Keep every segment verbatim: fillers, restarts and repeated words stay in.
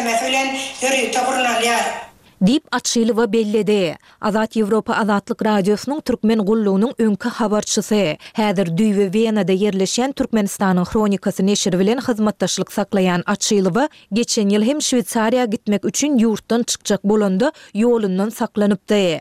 kesgitlemesi bilen ýörite gurnalýar. Diýip, Açylowa belledi. Azat Ýewropa Azatlyk Radiosynyň Türkmen gullugynyň öňki habarçysy, häzir düýbi Wenada ýerleşýän Türkmenistanyň Hronikasy neşiri bilen hyzmatdaşlyk saklaýan Açylowa geçen ýyl hem Şweýsariýa gitmek üçin ýurtdan çykjak bolanda ýolundan saklanypdy.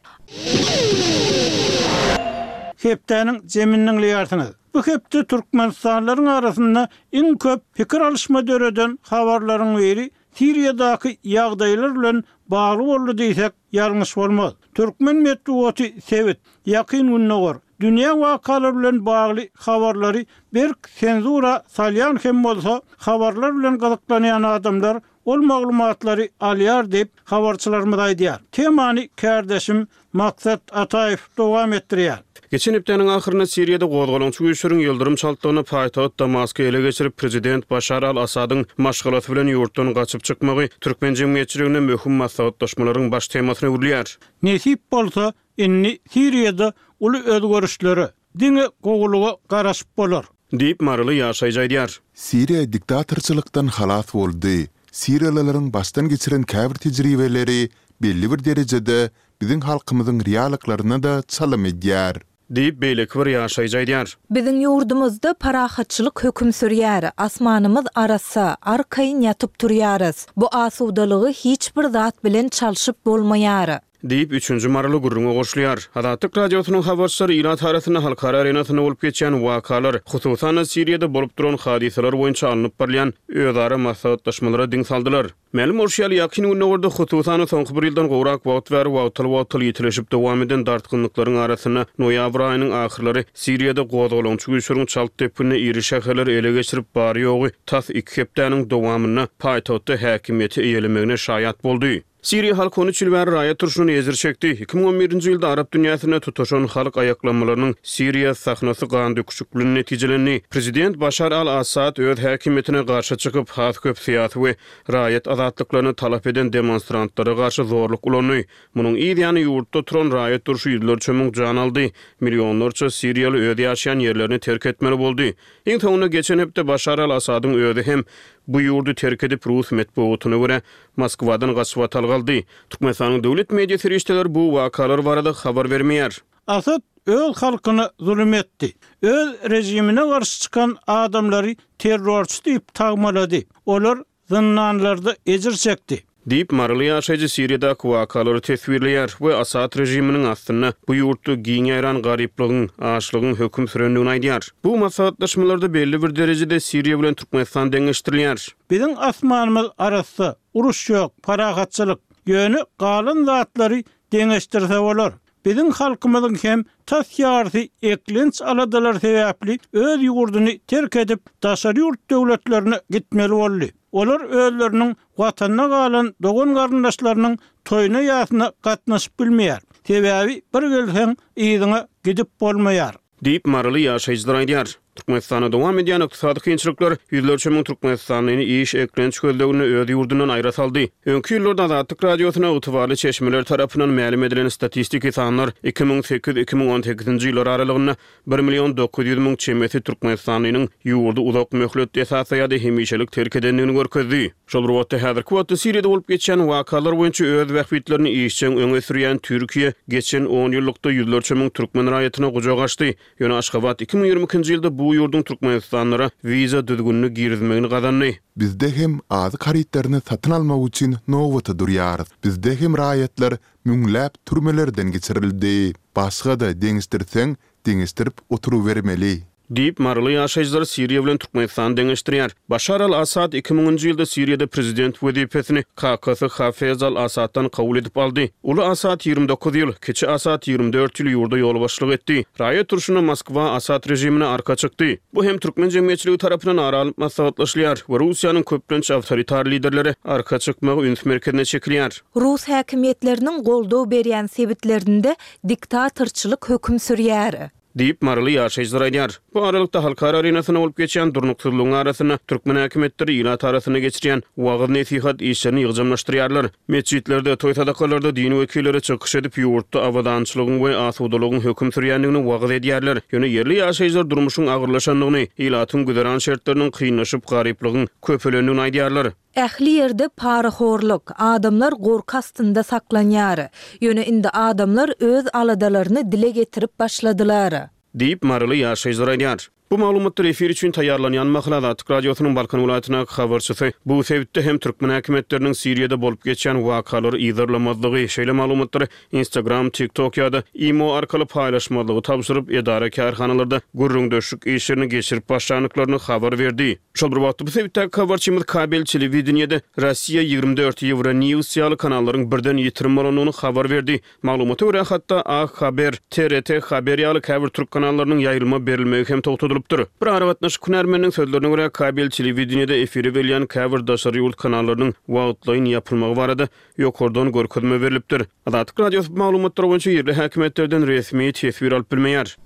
Hepdäniň jemini diňleýärsiňiz. Bu hepde türkmenistanlylaryň arasynda iň köp pikir alyşma döreden habarlaryň biri Siriýadaky ýagdaýlar bilen bagly boldy diýsek, ýalňyş bolmaz. Türkmen metbugaty sebit, Ýakyn Gündogar, dünýä wakalary bilen bagly habarlary berk senzura salýan hem bolsa, habarlar bilen gyzyklanýan adamlar ol maglumatlary alýar diýip, habarçylarymyz aýdýar. Temany kärdeşim Maksat Ataýew dowam etdirýär. Geçen hepdäniň ahyrynda Siriýada gozgalaňçy güýçleriň ýyldyrym çaltlygynda paýtagt Damasky ele geçirip, prezident Başar al-Assadyň maşgalasy bilen ýurtdan gaçyp çykmagy türkmen jemgyýetçiliginde möhüm maslahatlaşmalaryň baş temasyna öwrülýär. Nesip bolsa, indi Siriýada uly özgerişlere, diňe gowulyga garaşyp bolar. Diýip, maryly ýaşaýjy aýdýar. Siriýa diktatorçylykdan halas boldy. Siriýalylaryň başdan geçiren käbir tejribeleri belli bir derejede biziň halkymyzyň reallyklaryna-da çalym edýär. Diýip, beýleki bir ýaşaýjy aýdýar. Biziň ýurdumyzda parahatçylyk höküm sürýär, asmanymyz arassa, arkaýyn ýatyp turýarys. Bu asudalygy hiç bir zat bilen çalşyp bolmaýar. Diýip, üçünji maryly gürrüňe goşulýar. Azatlyk Radiosynyň habarçylary ilat arasynda halkara arenasynda bolup geçýän wakalar, hususan-da, Siriýada bolup duran hadysalar boýunça alnyp barylýan özara maslahatlaşmalara diň saldylar. Mälim bolşy ýaly, Ýakyn Gündogarda, hususan-da, soňky bir ýyldan gowrak wagt bäri wagtal-wagtal ýitileşip dowam eden dartgynlyklaryň arasynda noýabr aýynyň ahyrlary Siriýada gozgalaňçy güýçleriň çalt depginde iri şäherleri ele geçirip, bary-ýogy tas iki hepdäniň dowamynda paýtagtda häkimiýeti eýelemegine şaýat boldy. Siriýa halky on üç ýyl bäri raýat urşundan ejir çekdi. Iki müň on birinji ýylda arap dünýäsinde tutaşan halk aýaklanmalarynyň Siriýa sahnasy gandöküşik bilen netijelendi. Prezident Başar al-Assad öz häkimiýetine garşy çykyp, has köp syýasy we raýat azatlyklaryny talap eden demonstrantlara garşy zorluk ulandy. Munuň yz ýany ýurtda turan raýat urşy ýüzlerçe müň jan aldy, millionlarça siriýaly öz ýaşaýan ýerlerini terk etmeli boldy. Iň soňunda geçen hepde Başar al-Assadyň özi hem bu ýurdy terk edip, rus metbugatyna görä, Moskwadan gaçybatalga aldy. Türkmenistanyň döwlet media serişdeleri bu wakalar barada habar bermeýär. Asad öz halkyna zulum etdi. Öz režimine garşy çykan adamlary terrorçy diýip tagmalady. Olar zyndanlarda ejir çekdi. Diýip, maryly ýaşaýjy Siriýadaky wakalary teswirleýär we Asad režiminiň astynda bu ýurtda giň ýaýran garyplygyň, açlygyň höküm sürendigini aýdýar. Bu maslahatlaşmalarda belli bir derejede Siriýa bilen Türkmenistan deňeşdirilýär. Biziň asmanymyz arassa, uruş ýok, parahatçylyk. Ýöne galan zatlary deňeşdirse bolar. Biziň halkymyzyň hem tas ýarysy eklenç aladalary sebäpli öz ýurduny terk edip, daşary ýurt döwletlerine gitmeli boldy. Olar özleriniň Watanda galan dogan-garyndaşlarynyň toýuna-ýasyna gatnaşyp bilmeýär. Sebäbi bir gelseň, yzyňa gidip bolmaýar. Diýip, maryly ýaşaýjylar aýdýar. Türkmenistanda dowam edýän ykdysady kynçylyklar ýüzlerçe müň türkmenistanlyny iş, eklenç gözleginde öz ýurdundan aýra saldy. Öňki ýyllarda Azatlyk Radiosyna ygtybarly çeşmeler tarapyndan mälim edilen statistiki sanlar iki müň sekiz, iki müň on sekizinji ýyllar aralygynda bir million dokuz ýüz müň çemesi türkmenistanlynyň ýurdy uzak möhletli esasda ýa-da hemişelik terk edendigini görkezdi. Şol bir wagtda, häzirki wagtda Siriýada bolup geçýän wakalar boýunça öz bähbitlerini işjeň öňe sürýän Türkiýe geçen on ýyllykda ýüzlerçe müň türkmen raýatyna gujak açdy. Ýöne Aşgabat iki müň ýigrimi ikinji ýylda bu ýurduň türkmenistanlylara wiza düzgünini girizmegini gazandy. Bizde hem azyk harytlaryny satyn almak üçin nobata durýarys. Bizde hem raýatlar müňläp türmelerden geçirildi. Başga-da deňeşdirseň, deňeşdirip oturybermeli. Diýip, maryly ýaşaýjylar Siriýa bilen Türkmenistany deňeşdirýär. Başar al-Assad iki müňünji ýylda Siriýada prezident wezipesini kakasy Hafez al-Assaddan kabul edip aldy. Uly Assad ýigrimi dokuz ýyl, kiçi Assad ýigrimi dört ýyl ýurda ýolbaşçylyk etdi. Raýat urşunda Moskwa Assad režimine arka çykdy. Bu hem türkmen jemgyýetçiligi tarapyndan ara alnyp maslahatlaşylýar we Russiýanyň köplenç awtoritar liderlere arka çykmagy üns merkezine çekilýär. Rus häkimiýetleriniň goldaw berýän sebitlerinde diktatorçylyk höküm sürýär. Diýip, maryly ýaşaýjylar aýdýar. Bu aralykda, halkara arenasynda bolup geçýän durnuksyzlygyň arasynda türkmen häkimiýetleri ilat arasynda geçirýän wagyz-nesihat işlerini ýygjamlaşdyrýarlar. Metjitlerde, toý-sadakalarda din wekilleri çykyş edip, ýurtda abadançylygyň we asudalygyň höküm sürýändigini wagyz edýärler. Ýöne ýerli ýaşaýjylar durmuşyň agyrlaşandygyny, ilatyň güzeran şertleriniň kynlaşyp, garyplygyň köpelendigini aýdýarlar. Ähli ýerde parahorluk, adamlar gorky astynda saklanýar. Ýöne indi adamlar öz aladalaryny dile getirip başladylar. Diýip, maryly ýaşaýjylar aýdýar. Bu maglumatlar efir üçin taýýarlanýan mahaly Azatlyk Radiosynyň Balkan welaýatyndaky habarçysy bu sebitde hem türkmen häkimiýetleriniň Siriýada bolup geçýän wakalary yzarlamazlygy, şeýle maglumatlary Instagram, TikTok ýa-da Imo arkaly paýlaşmazlygy tabşyryp, edara-kärhanalarda gürrüňdeşlik işlerini geçirip başlandyklaryny habar berdi. Şol bir wagtda, bu sebitdäki habarçymyz kabel telewideniýede Rossiýa ýigrimi dört, Euronews ýaly kanallaryň birden ýitirim bolandygyny habar berdi. Maglumata görä, hatda A Haber, T R T Haber ýaly käbir türk kanallarynyň ýaýlyma berilmegi hem togtadylypdyr. Bir aragatnaşyk hünärmeniniň sözlerine görä, kabel telewideniýede efire berilýän käbir daşary ýurt kanallarynyň wagtlaýyn ýapylmagy barada ýokardan görkezme berlipdir. Azatlyk Radiosy bu maglumatlar boýunça ýerli häkimiýetlerden resmi teswir alyp bilmeýär.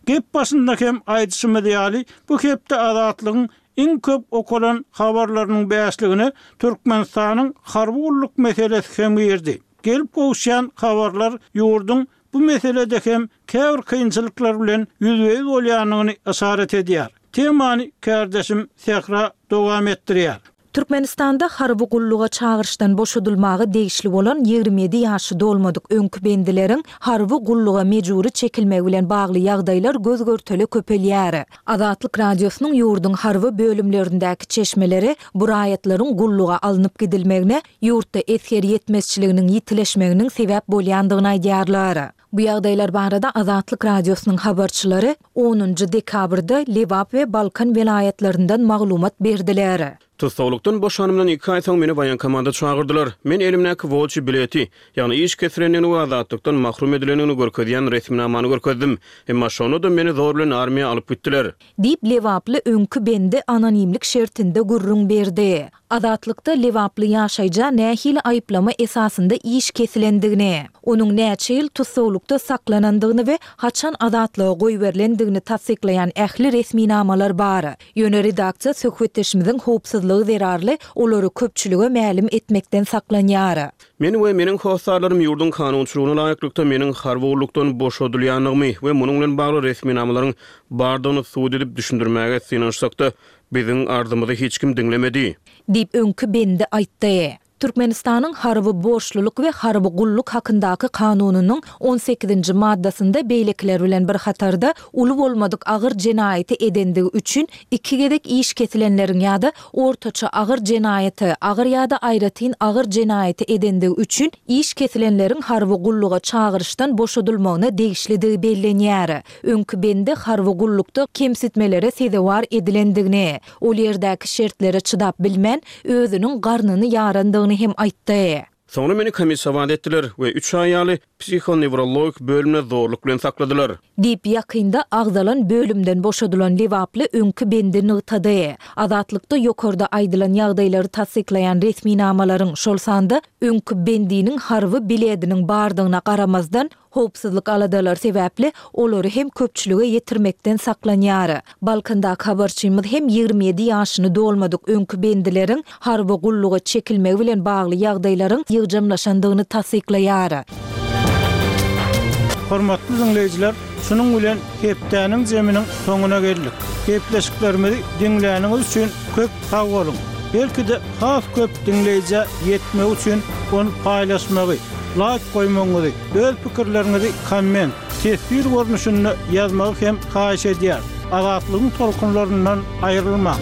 Gep başynda hem aýdyşymyz ýaly, bu hepde Azatlygyň iň köp okalan habarlarynyň bäşligine Türkmenistanyň harby gulluk meselesi hem girdi. Gelip gowuşýan habarlar ýurduň bu meselede hem käbir kynçylyklar bilen ýüzbe-ýüz bolýandygyny yşarat edýär. Temany kärdeşim Sähra dowam etdirýär. Türkmenistanda harby gulluga çagyryşdan boşadylmaga degişli bolan ýigrimi ýedi ýaşy dolmadyk öňki bendileriň harby gulluga mejbury çekilmegi bilen bagly ýagdaýlar göz-görtele köpelýär. Azatlyk Radiosynyň ýurduň harby bölümlerindäki çeşmeleri bu raýatlaryň gulluga alnyp gidilmegine ýurtda esger ýetmezçiliginiň ýitileşmeginiň sebäp bolýandygyny aýdýarlar. Bu ýagdaýlar barada Azatlyk Radiosynyň habarçylary onunjy dekabrda Lebap we Balkan welaýatlaryndan maglumat berdiler. Tussaglykdan boşanymdan iki aý soň meni waýenkomada çagyrdylar. Men elimdäki wolçy bileti, ýagny iş kesilendigini we azatlykdan mahrum edilendigini görkezýän resminamany görkezdim. Emma şonda-da meni zor bilen armiýa alyp gitdiler. Diýip, lebaply öňki bendi anonimlik şertinde gürrüň berdi. Azatlykda lebaply ýaşaýja nähili aýyplama esasynda iş kesilendigini, onuň näçe ýyl tussaglykda saklanandygyny we haçan azatlyga goýberilendigini tassyklaýan ähli resminamalar bar. Ýöne redaksiýa söhbetdeşimiziň howpsuzlygy zerarly olary köpçülige mälim etmekden saklanýar. Men we meniň hossarlarym ýurduň kanunçylygyna laýyklykda meniň harby gullukdan boşadylýandygymy we munuň bilen bagly resminamalaryň bardygyny subut edip düşündirmäge synanyşsak-da, biziň arzymyzy hiç kim diňlemedi. Diýip, öňki bendi aýtdy. Türkmenistanyň Harby borçlulyk we harby gulluk hakyndaky Kanunynyň on sekizinji maddasynda beýlekiler bilen bir hatarda uly bolmadyk agyr jenaýaty edendigi üçin iki gezek iş kesilenleriň ýa-da ortaça agyr jenaýaty, agyr ýa-da aýratyn agyr jenaýaty edendigi üçin iş kesilenleriň harby gulluga çagyryşdan boşadylmagyna degişlidigi bellenýär. Öňki bende harby gullukda kemsitmelere sezewar edilendigini, ol ýerdäki şertlere çydap bilmän, özüniň garnyny ýarandygyny hem aýtdy. Soňra meni komissowat etdiler we üç aý ýaly psihonewrologik bölümde zorluk bilen sakladylar. Diýip, ýakynda agzalan bölümden boşadylan lebaply öňki bendi nygtady. Azatlykda ýokarda aýdylan ýagdaýlary tassyklaýan resminamalaryň, şol sanda öňki bendiniň harby bilediniň bardygyna garamazdan, howpsuzlyk aladalary sebäpli olary hem köpçülige ýetirmekden saklanýar. Balkandaky habarçymyz hem ýigrimi ýedi ýaşyny dolmadyk öňki bendileriň harby gulluga çekilmegi bilen bagly ýagdaýlaryň ýygjamlaşandygyny tassyklaýar. Hormatly diňleýjiler, şunuň bilen hepdäniň zeminiň soňuna geldik. Gepleşiklerimizi diňläniňiz üçin köp sag boluň. Belki-de has köp diňleýjä ýetmegi üçin ony paýlaşmagy, laýk goýmagyňyzy, öz pikirleriňizi komment, teswir görnüşinde ýazmagy hem haýyş edýär. Azatlygyň tolkunlaryndan aýrylmaň.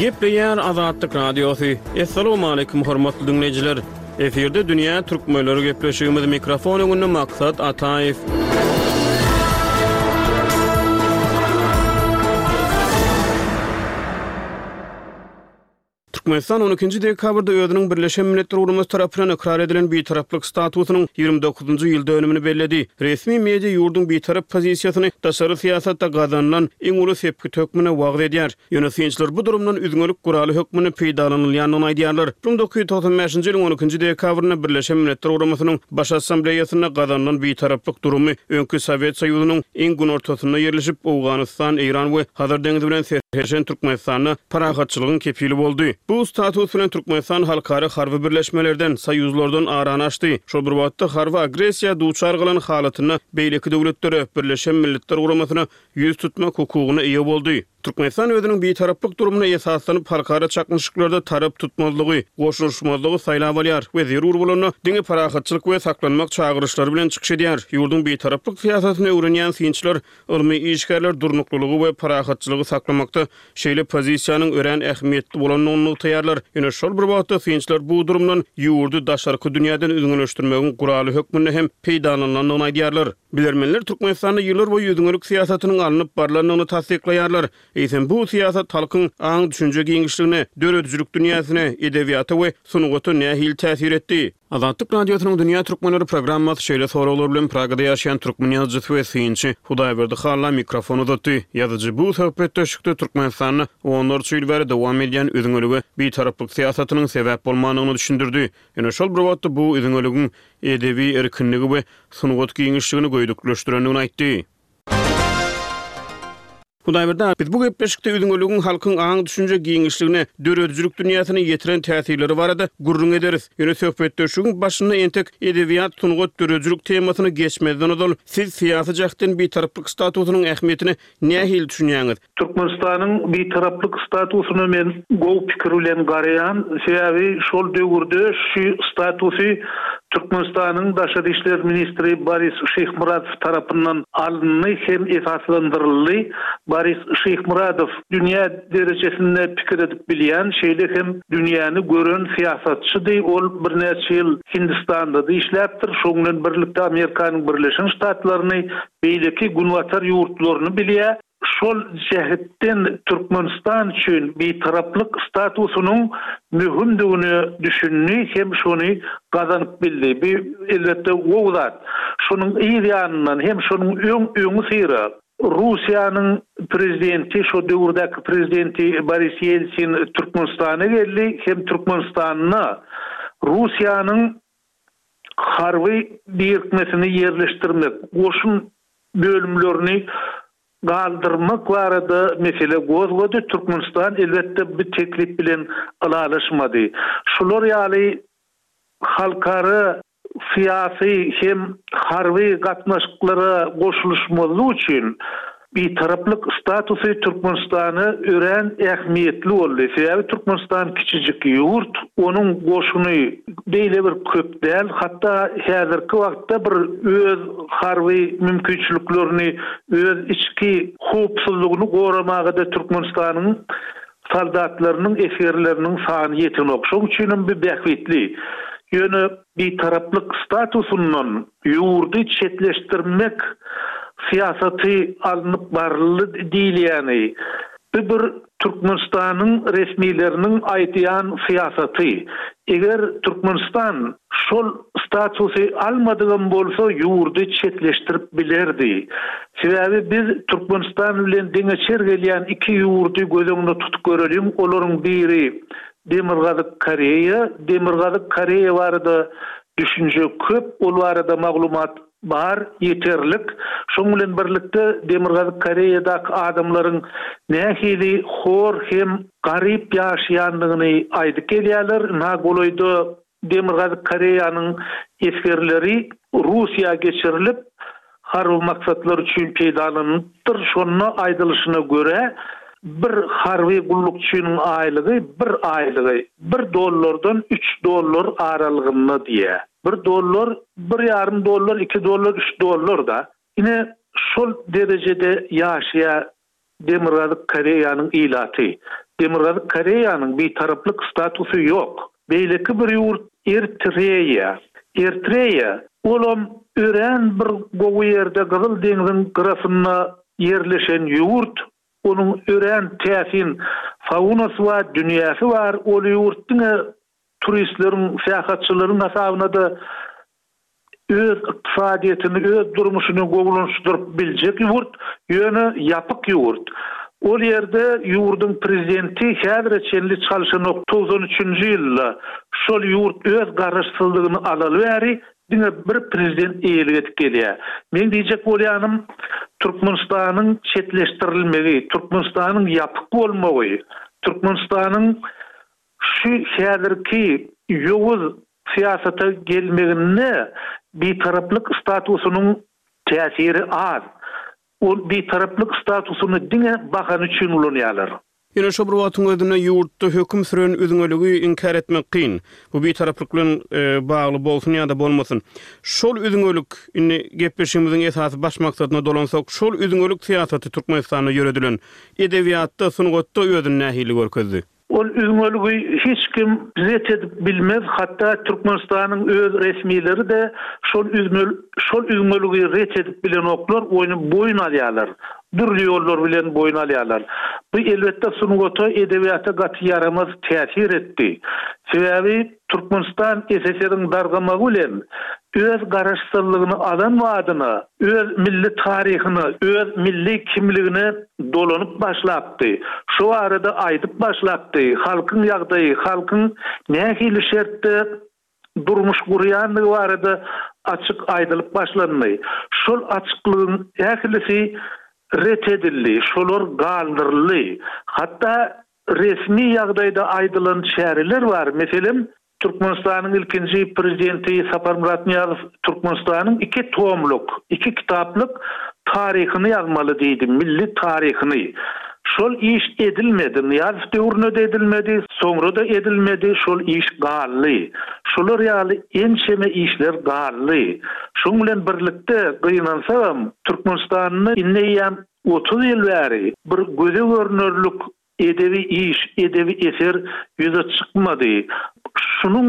Gepleýär Azatlyk Radiosy. Essalamu aleýkum hormatly diňleýjiler. Efirde Dünýä Türkmenleri gepleşigimiz mikrofon öňünde Maksat Ataýew. Türkmenistan on ikinji dekabrda özüniň Birleşen Milletler Guramasy tarapyndan ykrar edilen bitaraplyk statusynyň ýigrimi dokuzynjy ýyl dönümini belledi. Resmi media ýurduň bitarap pozisiýasyny daşary syýasatda gazanylan iň uly sepgit hökmünde wagyz edýär. Ýöne synçylar bu durumdan üzňelik guraly hökmünde peýdalanylýandygyny aýdýarlar. Bir müň dokuz ýüz togsan bäşinji ýylyň on ikinji dekabrynda Birleşen Milletler Guramasynyň Baş Assambleýasynda gazanylan bitaraplyk durumy öňki Sowet Soýuzynyň iň günortasynda ýerleşip, Owganystan, Eýran we Hazar deňizi bilen serhetleşen Türkmenistanda parahatçylygyň kepili boldy. Bu Bu status bilen Türkmenistan halkara harby birleşmelerden, soýuzlardan arany açdy. Şol bir wagtda harby agressiýa duçar galan halatynda beýleki döwletlere, Birleşen Milletler Guramasyna ýüz tutmak hukugyna eýe boldy. Türkmenistan özüniň bitaraplyk durumyna esaslanyp, halkara çaknyşyklarda tarap tutmazlygy, goşulyşmazlygy saýlap alýar we zerur bolanda diňe parahatçylyk we saklanmak çagyryşlary bilen çykyş edýär. Ýurduň bitaraplyk syýasatyny öwrenýän synçylar, ylmy işgärler durnuklylygy we parahatçylygy saklamakda şeýle pozisiýanyň örän ähmiýetli bolandygyny nygtaýarlar. Ýöne şol bir wagtda synçylar bu durumdan ýurdy daşarky dünýäden üzňeleşdirmegiň guraly hökmünde hem peýdalanylandygyny aýdýarlar. Bilermenler Türkmenistanda ýyllar boýy üzňelik syýasatynyň alnyp barlandygyny tassyklaýarlar. Eýsem, bu syýasat halkyň aň-düşünje giňişligine, döredijilik dünýäsine, edebiýata we sungata nähili täsir etdi? Azatlyk Radiosynyň Dünýä Türkmenleri programmasy şeýle soraglar bilen Pragada ýaşaýan türkmen ýazyjysy we synçy Hudaýberdi Halla mikrofon uzatdy. Ýazyjy bu söhbetdeşlikde Türkmenistanda onlarça ýyl bäri dowam edýän üzňelige bitaraplyk syýasatynyň sebäp bolmandygyny düşündirdi. Ýöne şol bir wagtda bu üzňeligiň edebi erkinligi we sungat giňişligini göýdükleşdirendigini aýtdy. Hudaýberdi aga, biz bu gepleşikde üzňeligiň halkyň aň-düşünje giňişligine, döredijilik dünýäsine ýetiren täsirleri barada gürrüň ederis. Ýöne söhbetdeşligiň başynda entek edebiýat, sungat, döredijilik temasyna geçmezden ozal, siz syýasy jähtden bitaraplyk statusynyň ähmiýetine nähili düşünýäňiz? Türkmenistanyň bitaraplyk statusyna men gowy pikir bilen garaýan, sebäbi şol döwürde şu statusy Türkmenistanyň daşary işler ministri Boris Şyhmyradow tarapyndan alyndy hem esaslandyryldy. Boris Şyhmyradow dünýä derejesinde pikir edip bilýän, şeýle hem dünýäni gören syýasatçydy. Ol birnäçe ýyl Hindistanda-da işläpdir, şoň bilen birlikde Amerikanyň Birleşen Ştatlaryny, beýleki günbatar ýurtlaryny bilýär. Şol jähetden Türkmenistan üçin bitaraplyk statusynyň möhümdigine düşündi hem şony gazanyp bildi. Bu, elbetde, gowy zat. Şonuň yz ýanyndan hem şonuň öň öňüsyra Russiýanyň prezidenti, şo döwürdäki prezidenti Boris Ýeltsin Türkmenistana geldi hem Türkmenistanda Russiýanyň harby birikmesini ýerleşdirmek, goşun bölümlerini galdyrmak barada mesele gozgady. Türkmenistan, elbetde, bu teklip bilen ylalaşmady. Şular ýaly halkara syýasy hem harby gatnaşyklara goşulyşmazlyk üçin Bitaraplyk statusy Türkmenistana örän ähmiýetli boldy. Sebäbi Türkmenistan kiçijik ýurt, onuň goşuny beýle bir köp däl, hatda häzirki wagtda bir öz harby mümkinçiliklerini, öz içki howpsuzlygyny goramaga-da Türkmenistanyň soldatlarynyň, esgerleriniň sany ýetenok. Şonuň üçinem bu bähbitli. Ýöne Bitaraplyk statusyndan ýurdy çetleşdirmek syýasaty alnyp baryldy diýilýäni, bu bir Türkmenistanyň resmileriniň aýdýan syýasaty. Eger Türkmenistan şol statusy almadygam bolsa ýurdy çetleşdirip bilerdi. Sebäbi biz Türkmenistan bilen deňeçer gelýän iki ýurdy göz öňünde tutup göreliň, olaryň biri Demirgazyk Koreýa, Demirgazyk Koreýa barada düşünje köp, ol barada maglumat bar, ýeterlik. Şoň bilen birlikde Demirgazyk Koreýadaky adamlaryň nähili hor hem garyp ýaşaýandygyny aýdyp gelýärler. Ynha golaýda Demirgazyk Koreýanyň esgerleri Russiýa geçirilip, harby maksatlar üçin peýdalanylypdyr. Şonda aýdylyşyna görä, bir harby gullukçynyň aýlygy bir aýlygy bir dollardan üç dollar aralygynda diýýär. Bir dollar, bir ýarym dollar, iki dollar, üç dollar-da. Ine, şol derejede ýaşaýar Demirgazyk Koreýanyň ilaty. Demirgazyk Koreýanyň bitaraplyk statusy ýok. Beýleki bir ýurt Ertreýa. Ertreýa, olam örän bir gowy ýerde Gyzyl deňziň gyrasynda ýerleşen ýurt. Onuň örän täsin faunasy bar, dünýäsi bar. Ol ýurt diňe turistleriň, syýahatçylaryň hasabyna-da öz ykdysadyýetini, öz durmuşyny gowulanşdyryp biljek ýurt, ýöne ýapyk ýurt. Ol ýerde ýurduň prezidenti häzire çenli çalşanok, togsan üçünji ýylda şol ýurt öz garaşsyzlygyny alaly bäri diňe bir prezident eýelik edip gelýär. Meň diýjek bolýanym, Türkmenistanyň çetleşdirilmegi, Türkmenistanyň ýapyk bolmagy, Türkmenistanyň Şu häzirki ýowuz syýasata gelmeginde bitaraplyk statusynyň täsiri az. Ol bitaraplyk statusyny diňe bahana üçin ulanýarlar. Ýöne şo bir wagtyň özünde ýurtda höküm süren üzňeligi inkär etmek kyn. Bu bitaraplyk bilen bagly bolsun ýa-da bolmasyn. Şol üzňelik, indi gepleşigimiziň esasy baş maksadyna dolansak, şol üzňelik syýasaty Türkmenistanda ýöredilen edebiýatda, sungatda özüni nähili görkezdi? Ol üzňeligi hiç kim ret edip bilmez, hatda Türkmenistanyň öz resmileri-de şol şol üzňeligi ret edip bilenoklar, ony boýun alýarlar. Dürli ýollar bilen boýun alýarlar. Bu elbetde sungata, edebiýata gaty ýaramaz täsir etdi. Sebäbi Türkmenistan S S R-iň dargamagy bilen öz garaşsyzlygyny alan badyna öz milli taryhyna, öz milli kimligine dolanyp başlapdy. Şu barada aýdyp başlapdy. Halkyň ýagdaýy, halkyň nähili şertde durmuş gurýandygy barada açyk aýdylyp başlandy. Şol açyklygyň ählisi ret edildi, şolar galdyryldy. Hatda resmi ýagdaýda aýdylan çäreler bar. Meselem, Türkmenistanyň ilkinji prezidenti Saparmyrat Nyýazow Türkmenistanyň iki tomluk, iki kitaplyk taryhyny ýazmaly diýdi, milli taryhyny. Şol iş edilmedi, Nyýazow döwründe-de edilmedi, soňra-da edilmedi, şol iş galdy. Şolar ýaly ençeme işler galdy. Şoň bilen birlikde, gynansagam, Türkmenistanda indi eýýäm otuz ýyl bäri bir göze görnerlik edebi iş, edebi eser ýüze çykmady. Şunuň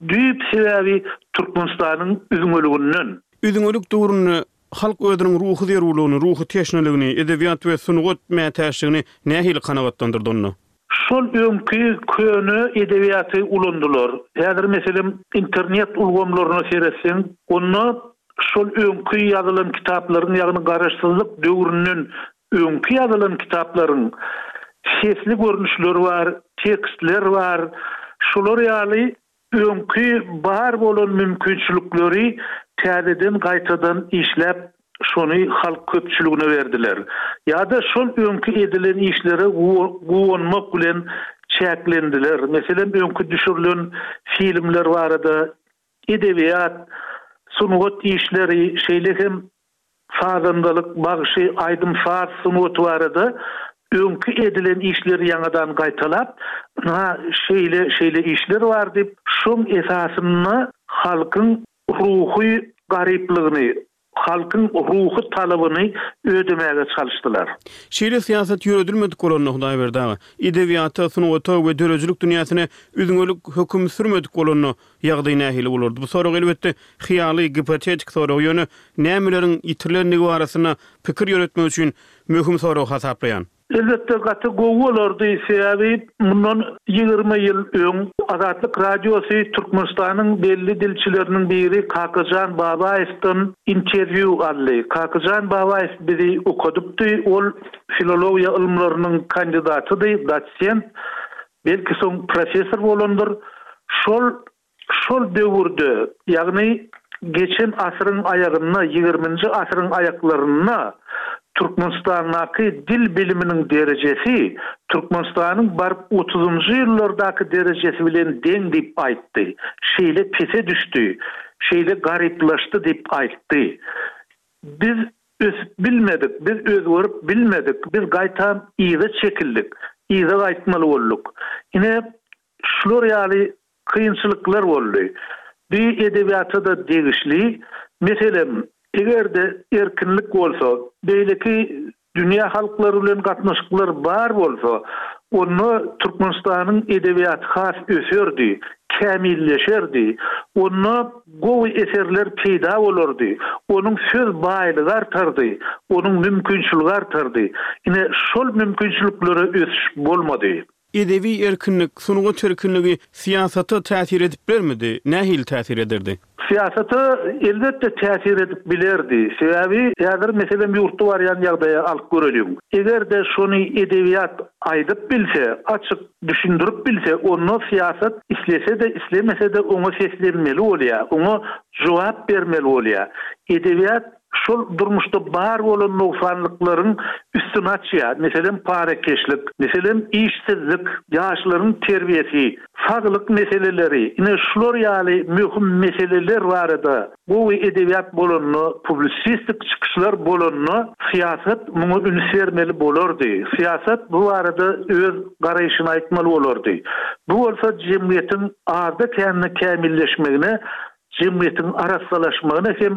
düýp sebäbi Türkmenistanyň üzňeliginden. Üzňelik döwründe halk özüniň ruhy zerurlygyny, ruhy teşneligini, edebiýat we sungat mätäçligini nähili kanagatlandyrdy onda? Şol öňki köne edebiýaty ulandylar. Häzir meselem internet ulgamlaryna seretseň, onda şol öňki ýazylan kitaplaryň, ýagny garaşsyzlyk döwründen öňki ýazylan kitaplaryň sesli görnüşleri bar, tekstler bar. Şolar ýaly öňki bar bolan mümkinçilikleri täzeden gaýtadan işläp, şony halk köpçüligine berdiler. Ýa-da şol öňki edilen işlere guwanmak bilen çäklendiler. Meselem, öňki düşürilen filmler barada edebiýat, sungat işleri, şeýle hem sazandalyk, bagşy, aýdym-saz sungaty barada öňki edilen işleri ýaňadan gaýtalap, ynha şeýle, şeýle işler bar diýip, şoň esasynda halkyň ruhy garyplygyny, halkyň ruhy talabyny ödemäge çalyşdylar. Şeýle syýasat ýöredilmedik bolanda, Hudaýberdi aga, edebiýata, sungata we döredijilik dünýäsine üzňelik höküm sürmedik bolanda, ýagdaý nähili bolardy? Bu sorag elbetde hyýaly, gipotetik sorag, ýöne nämeleriň ýitirilendigi barasynda pikir ýöretmek üçin möhüm sorag hasaplaýan. Elbetde gaty gowy bolardy, sebäbi mundan ýigrimi ýyl öň Azatlyk Radiosy Türkmenistanyň belli dilçileriniň biri Kakajan Babaýewden interwýu aldy. Kakajan Babaýew bizi okadypdy, ol filologiýa ylymlarynyň kandidatydy, dosent, belki soň professor bolandyr. Şol Şol döwürde, ýagny geçen asyryň aýagynda, ýigriminji asyryň aýaklarynda Türkmenistandaky dil biliminiň derejesi Türkmenistanyň baryp otuzynjy ýyllardaky derejesi bilen deň diýip aýtdy. Şeýle pese düşdi, şeýle garyplaşdy diýip aýtdy. Biz ösüp bilmedik, biz özgerip bilmedik, biz gaýtam yza çekildik, yza gaýtmaly bolduk. Ine, şular ýaly kynçylyklar boldy. Bu edebiýata-da degişli. Meselem, eger-de erkinlik bolsa, beýleki dünýä halklary bilen gatnaşyklar bar bolsa, onda Türkmenistanyň edebiýaty has öserdi, kämilleşerdi. Onda gowy eserler peýda bolardy. Onuň söz baýlygy artardy, onuň mümkinçiligi artardy. Ine, şol mümkinçiliklere ösüş bolmady. Edebi erkinlik, sungat erkinligi syýasata täsir edip bilermidi? Nähili täsir ederdi? Syýasata elbetde täsir edip bilerdi. Sebäbi häzir meselem ýurtda barýan ýagdaýa alyp göreliň. Eger-de şony edebiýat aýdyp bilse, açyk düşündirip bilse, onda syýasat islese-de, islemese-de oňa seslenmeli bolýar, oňa jogap bermeli bolýar. Edebiýat şol durmuşda bar bolan nogsanlyklaryň üstüni açýar. Meselem, parakeşlik, meselem, işsizlik, ýaşlaryň terbiýesi, saglyk meseleleri, ine şular ýaly möhüm meseleler barada gowy edebiýat bolanda, publisistik çykyşlar bolanda syýasat muňa üns bermeli bolardy. Syýasat bu barada öz garaýşyny aýtmaly bolardy. Bu bolsa jemgyýetiň azda-kände kämilleşmegine, jemgyýetiň arassalaşmagyna hem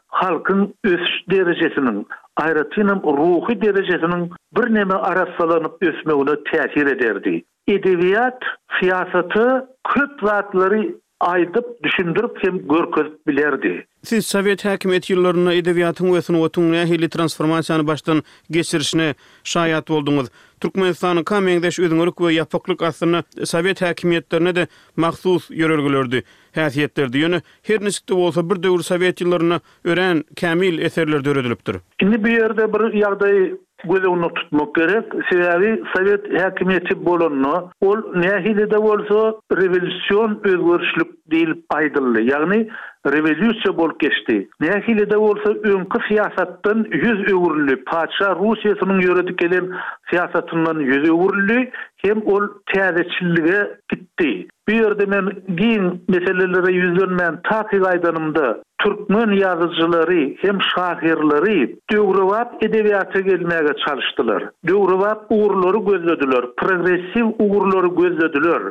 halkyň ösüş derejesiniň, aýratynam ruhy derejesiniň birneme arassalanyp ösmegine täsir ederdi. Edebiýat syýasata köp zatlary aýdyp, düşündirip hem görkezip bilerdi. Siz sowet häkimiýeti ýyllarynda edebiýatyň we sungatyň nähili transformasiýany başdan geçirişine şaýat bolduňyz. Türkmenistanyňka meňzeş üzňelik we ýapyklyk aslynda sowet häkimiýetlerine-de mahsus ýörelgelerdi, häsiýetlerdi. Ýöne her niçik-de bolsa bir döwür sowet ýyllarynda örän kämil eserler döredilipdir. Indi bu ýerde bir ýagdaý göz öňünde tutmak gerek. Sebäbi sowet häkimiýeti bolanda ol nähili-de bolsa rewolýusion özgerişlik diýlip aýdyldy. Ýagny rewolýusiýa bolup geçdi. Nähili-de bolsa öňki syýasatdan ýüz öwrüldi. Patyşa Russiýasynyň ýöredip gelen syýasatyndan ýüz öwrüldi hem ol täzeçillige gitdi. Bu ýerde men giň meselelere ýüzlenmän takyk aýdanymda türkmen ýazyjylary hem şahyrlary döwrebap edebiýata gelmäge çalyşdylar. Döwrebap ugurlary gözlediler, progressiw ugurlary gözlediler.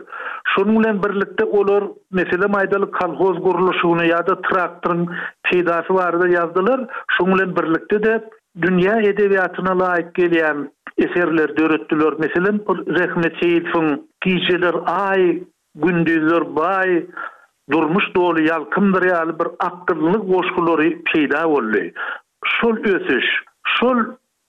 Şonuň bilen birlikde olar meselem aýdalyk kolhoz gurluşygyny ýa-da traktoryň peýdasy barada ýazdylar. Şonuň bilen birlikde-de dünýä edebiýatyna laýyk gelýän eserler döretdiler. Meselem, Rehmet Seýidowyň Gijeler aý, gündizler baý, durmuş doly ýalkymdyr ýaly bir akylly goşgulary peýda boldy. Şol ösüş, şol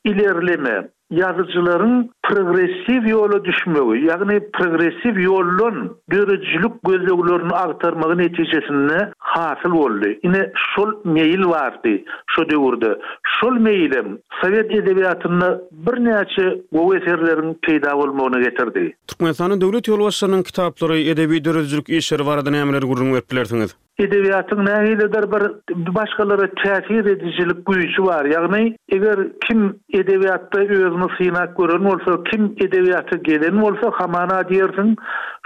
ilerleme ýazyjylaryň progressiw ýola düşmegi, ýagny progressiw ýoldan döredijilik gözleglerini agtarmagy netijesinde hasyl boldy. Ine şol meýil bardy şo döwürde. Şol meýilem sowet edebiýatynda birnäçe gowy eserleriň peýda bolmagyna getirdi. Türkmenistanyň döwlet ýolbaşçylarynyň kitaplary, edebi döredijilik işleri barada nämeleri gürrüň berip bilersiňiz? Edebiýatyň nähilidir bir başgalara täsir edijilik güýji bar. Ýagny eger kim edebiýatda özüni synap gören bolsa, kim edebiýata gelen bolsa, hamana diýersiň,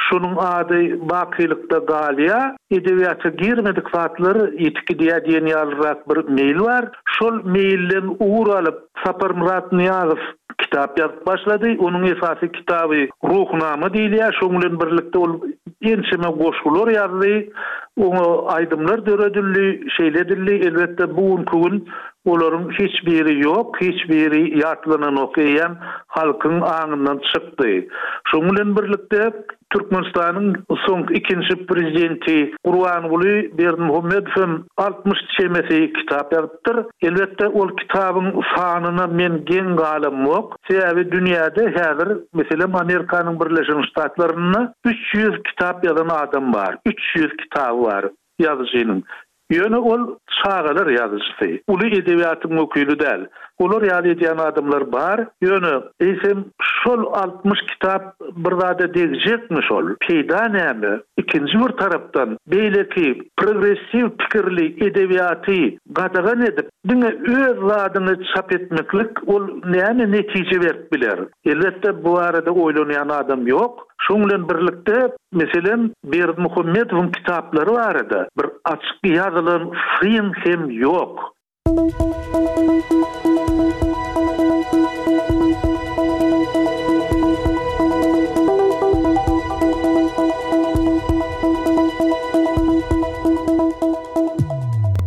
şonuň ady bakylykda galýar. Edebiýata girmedik zatlar ýetip gidýär diýen ýalyrak bir meýil bar. Şol meýilden ugur alyp Saparmyrat Nyýazow kitap ýazyp başlady. Onuň esasy kitaby Ruhnama diýilýär. Şonuň bilen birlikde ol ençeme goşgular ýazdy. Oňa aýdymlar döredildi, şeýle edildi. Elbetde bu günkü gün olaryň hiç biri ýok, hiç biri ýatlananok, eýýäm halkyň aňyndan çykdy. Şonuň bilen birlikde Türkmenistanyň soňky ikinji prezidenti Gurbanguly Berdimuhamedow hem altmyş çemesi kitap ýazypdyr. Elbetde ol kitabyň sanyna men geň galamok. Sebäbi dünýäde häzir, meselem, Amerikanyň Birleşen Ştatlarynda üç ýüz kitap ýazan adam bar. Üç ýüz kitaby bar ýazyjynyň. Ýöne ol çagalar ýazyjysy, uly edebiýatyň wekili däl. Olar ýaly edýän adamlar bar, ýöne eýsem şol altmyş kitap bir zada degjekmi şol? Peýda näme? Ikinji bir tarapdan beýleki progressiw pikirli edebiýaty gadagan edip, diňe öz zadyňy çap etmeklik ol näme netije berip biler? Elbetde bu barada oýlanýan adam ýok. Şonuň bilen birlikde, meselem, Berdimuhamedowyň kitaplary barada bir açyk ýazylan syn hem ýok.